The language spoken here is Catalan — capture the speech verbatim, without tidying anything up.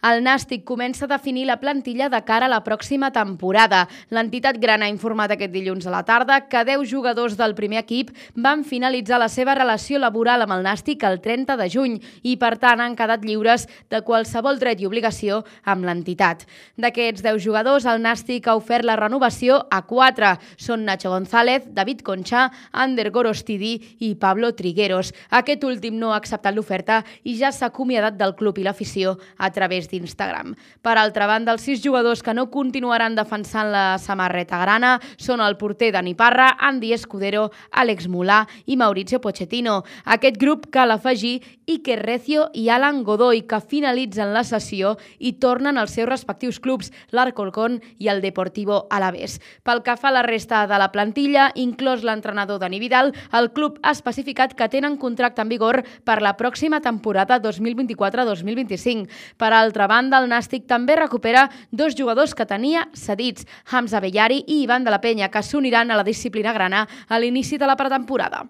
El Nàstic comença a definir la plantilla de cara a la pròxima temporada. L'entitat grana ha informat aquest dilluns a la tarda que deu jugadors del primer equip van finalitzar la seva relació laboral amb el Nàstic el trenta de juny i, per tant, han quedat lliures de qualsevol dret i obligació amb l'entitat. D'aquests deu jugadors, el Nàstic ha ofert la renovació a quatre. Són Nacho González, David Concha, Ander Gorostidi i Pablo Trigueros. Aquest últim no ha acceptat l'oferta i ja s'ha acomiadat del club i l'afició a través d'Instagram. Per altra banda, els sis jugadors que no continuaran defensant la samarreta grana són el porter Dani Parra, Andy Escudero, Àlex Mulà i Mauricio Pochettino. Aquest grup cal afegir Iker Recio i Alan Godoy, que finalitzen la sessió i tornen als seus respectius clubs, l'Alcorcón i el Deportivo Alavés. Pel que fa a la resta de la plantilla, inclòs l'entrenador Dani Vidal, el club ha especificat que tenen contracte en vigor per la pròxima temporada dos mil vint-i-quatre dos mil vint-i-cinc. Per altra banda, el Nàstic també recupera dos jugadors que tenia cedits, Hamza Bellari i Ivan de la Penya, que s'uniran a la disciplina grana a l'inici de la pretemporada.